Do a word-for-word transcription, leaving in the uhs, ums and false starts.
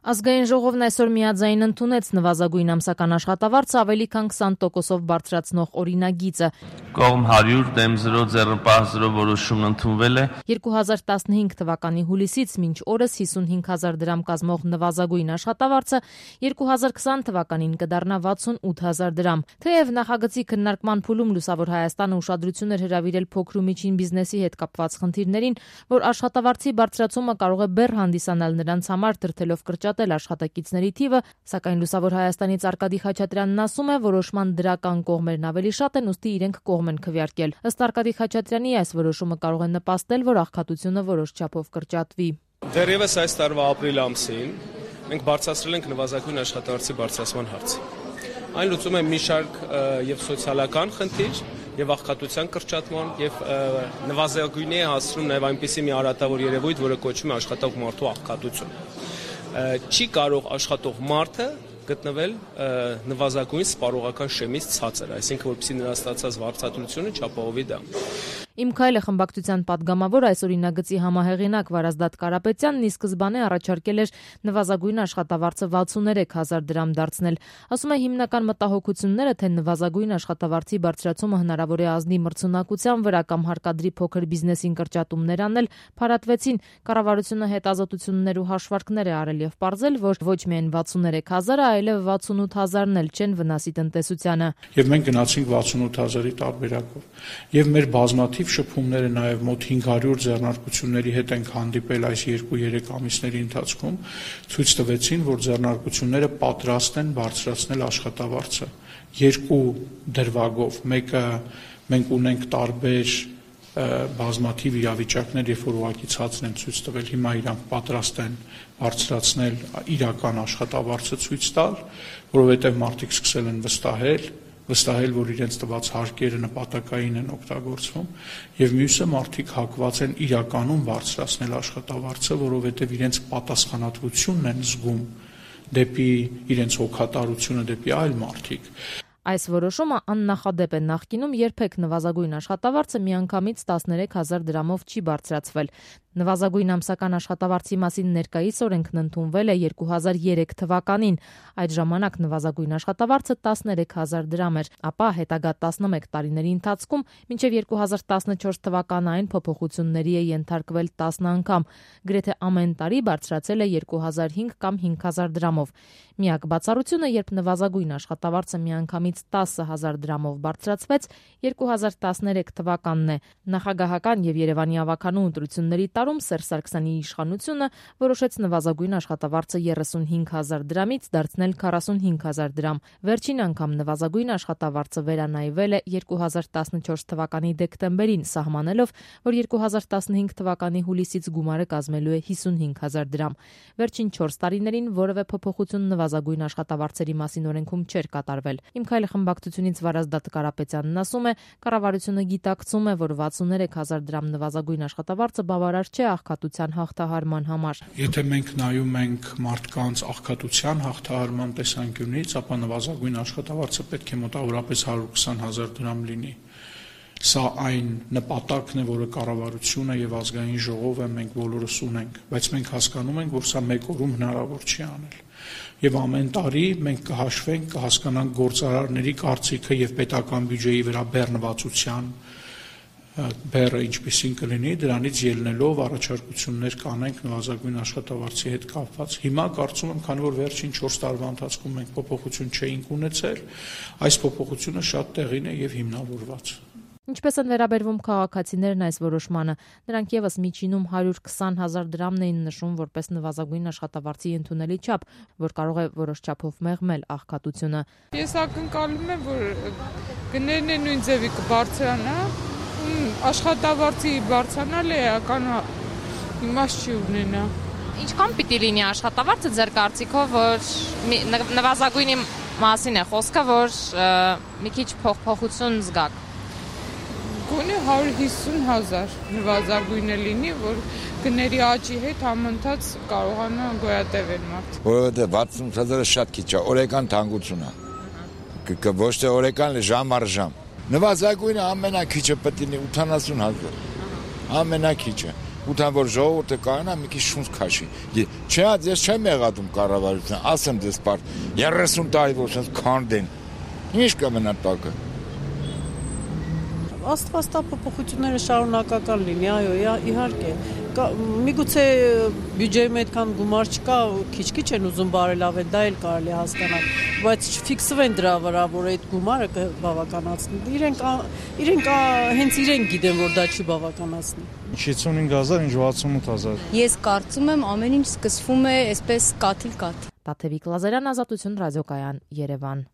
Ազգային ժողովն այսօր միաձայն ընդունեց նվազագույն ամսական աշխատավարձը ավելի քան քսան տոկոսով բարձրացնող օրինագիծը։ Կողմ հարյուր դեմ զրո ձեռնպահ զրո որոշումն ընդունվել է։ երկու հազար տասնհինգ թվականի հուլիսից մինչ օրս հիսունհինգ հազար դրամ կազմող նվազագույն աշխատավարձը երկու հազար քսան թվականին կդառնա վաթսունութ հազար դրամ։ Թեև նախագծի քննարկման փուլում Լուսավոր Հայաստանը ուշադրություն էր հրավիրել փոքր ու միջին բիզնեսի հետ կապված խնդիրներին, որ աշխատավարձի բարձրացումը կարող է բեռ հանդիսանալ նրանց համար, դրդելով կրճատել աշխատակիցների թիվը, սակայն Լուսավոր Հայաստանից Արկադի Խաչատրյանն ասում է, որոշման դրական կողմերն ավելի շատ են, ուստի իրենք կողմ են քվեարկել։ Ըստ Արկադի Խաչատրյանի, այս որոշումը կարող է նպաստել, որ աղքատությունը որոշ չափով կրճատվի։ Դեռևս այս տարվա ապրիլ ամսին մենք բարձրացրել ենք նվազագույն աշխատավարձի բարձրացման հարցը։ Այն լուծում է մի շարք եւ սոցիալական խնդիր, եւ աղքատության կրճատման եւ նվազագույնի է հասցնում նաեւ այնպիսի մի արատավոր երևույթ, որը կոչվում է աշխատող մարդու աղքատություն։ Չի կարող աշխատող մարդը գտնվել նվազագույն սպառողական շեմից ցածր, այսինքն որպեսզի նրա ստացած վարձատրությունը չապահովի դա։ Իմ քայլը խմբակցության падգամավոր այս օրինագծի համահեղինակ Վարազդատ Կարապետյանն ի սկզբանե առաջարկել էր նվազագույն աշխատավարձը վաթսուններեք հազար դրամ դարձնել։ Ասում է, հիմնական մտահոգությունները, թե նվազագույն աշխատավարձի բարձրացումը հնարավոր է ազդի մրցունակության վրա կամ հարկադրի փոքր բիզնեսին կրճատումներ անել, փարատվեցին։ Կառավարությունը հետազոտություններ ու հաշվարկներ է արել եւ պարզել, որ ոչ միայն վաթսուններեք հազարը, այլև վաթսունութ հազարն էլ չեն վնասի տնտեսությանը։ Եվ մենք գնացինք վաթսունութ հազարի տարբերակով։ Եվ մեր բազմաթիվ շփումները նաև մոտ հինգ հարյուր ձեռնարկությունների հետ ենք հանդիպել այս երկու-երեք ամիսների ընթացքում, ցույց տվեցին, որ ձեռնարկությունները պատրաստ են բարձրացնել աշխատավարձը երկու դրվագով։ Մեկը մենք ունենք տարբեր բազմաթիվ իրավիճակներ, երբ որ ուղղակի ցածր են ցույց տվել, հիմա իրանք պատրաստ են բարձրացնել իրական աշխատավարձը ցույց տալ, որովհետև մարդիկ սկսել են վստահել վստահել, որ իրենց տված հարկերը նպատակային են օգտագործվում, եւ մյուսը մարդիկ հակված են իրականում բարձրացնել աշխատավարձը, որովհետեւ իրենց պատասխանատվությունն են զգում դեպի իրենց հոգատարությունը դեպի այլ մարդիկ։ Այս որոշումը աննախադեպ է, նախկինում երբեք նվազագույն աշխատավարձը միանգամից տասներեք հազար դրամով չի բարձրացվել։ Նվազագույն ամսական աշխատավարձի մասին ներկայիս օրենքն ընդունվել է երկու հազար երեք թվականին։ Այդ ժամանակ նվազագույն աշխատավարձը տասներեք հազար դրամ էր, ապա հետագա տասնմեկ տարիների ընթացքում մինչև երկու հազար տասնչորս թվականը այն փոփոխությունների է ենթարկվել տասն անգամ։ Գրեթե ամեն տարի բարձրացել է երկու հազար հինգ կամ հինգ հազար դրամով։ Միակ բացառությունը, երբ նվազագույն աշխատավարձը միանգամից տասը հազար դրամով բարձրացվեց, երկու հազար տասներեք թվականն է։ Նախագահական եւ Երևանի ավականու ընտրությունների տարում Սերժ Սարգսյանի իշխանությունը որոշեց նվազագույն աշխատավարձը երեսունհինգ հազար դրամից դարձնել քառասունհինգ հազար դրամ։ Վերջին անգամ նվազագույն աշխատավարձը վերանայվել է երկու հազար տասնչորս թվականի դեկտեմբերին, սահմանելով, որ երկու հազար տասնհինգ թվականի հուլիսից գումարը կազմելու է հիսունհինգ հազար դրամ։ Վերջին չորս տարիներին որևէ փոփոխություն նվազագույն աշխատավարձերի մասին օրենքում չէր կատարվել։ Իմ քայլը խմբակցությունից Վարազդատ Կարապետյանն ասում է, կառավարությունը գիտակցում է, որ վաթսուններեք հազար դրամ նվազագույն աշխատավարձը բավարար չէ աղքատության հաղթահարման համար։ Եթե մենք նայում ենք մարդկանց աղքատության հաղթահարման տեսանկյունից, ապա նվազագույն աշխատավարձը պետք է մոտավորապես հարյուր քսան հազար դրամ լինի։ Սա այն նպատակն է, որը կառավարությունը եւ ազգային ժողովը մենք բոլորս ունենք, բայց մենք հասկանում ենք, որ սա մեկ օրում հնարավոր չի անել։ Եվ ամեն տարի մենք կհաշվենք, կհասկանանք գործարարների կարծիքը եւ պետական բյուջեի վրա բեռնվածության բեռը ինչպեսին կլինի, դրանից ելնելով առաջարկություններ կանենք նվազագույն աշխատավարձի հետ կապված։ Հիմա կարծում եմ, քանի որ վերջին չորս տարվա ընթացքում մենք փոփոխություն չէինք ունեցել, այս փոփոխությունը շատ տեղին է եւ հիմնավորված։ Ինչպես են վերաբերվում քաղաքացիներն այս որոշմանը, նրանք եւս միջինում հարյուր քսան հազար դրամն էին նշում որպես նվազագույն աշխատավարձի ընդունելի չափ, որ կարող է որոշ չափով մեղմել աղքատությունը։ Ես ակնկալում եմ, որ գներն են նույն ձևի կբարձրանա, աշխատավարձի բարձրանալը էական իմաստ չի ունենա։ Ինչքան պիտի լինի աշխատավարձը ձեր կարծիքով, որ նվազագույնի մասին է խոսքը, որ մի քիչ փոփոխություն զգաք։ Գոնե հարյուր հիսուն հազար նվազագույնը լինի, որ գների աճի հետ համընթաց կարողանա գոյատևել մարդ։ Որովհետև վաթսուն հազարը շատ քիչ է, օրական թանկություն է։ Ոչ թե օրական, ժամ առ ժամ։ Նվազագույնը ամենակիչը պետք է լինի ութանասուն հազար։ Ամենակիչը։ Ուտան որ ժողովուրդը կարողանա մի քիչ շունչ քաշի։ Չէ, ես չեմ եղածում կառավարության, ասեմ դες պարտ երեսուն տարի որ sense քանդեն։ Ինչ կմնա տակը։ Աստվածտա փոփոխությունները շարունակական լինի, այո, իհարկե։ Միգուցե բյուջեում այդքան գումար չկա, քիչ-քիչ են ուզում բարելավել, դա էլ կարելի հասկանալ, բայց չֆիքսվեն դրա վրա, որ այդ գումարը կբավականացնի։ Իրենք իրենք հենց իրենք գիտեն, որ դա չի բավականացնի։ շեյթսունհինգ հազար, ինչ վաթսունութ հազար։ Ես կարծում եմ ամեն ինչ սկսվում է այսպես կաթիլ-կաթ։ Տաթևիկ Լազարյան, Ազատություն ռադիոկայան, Երևան։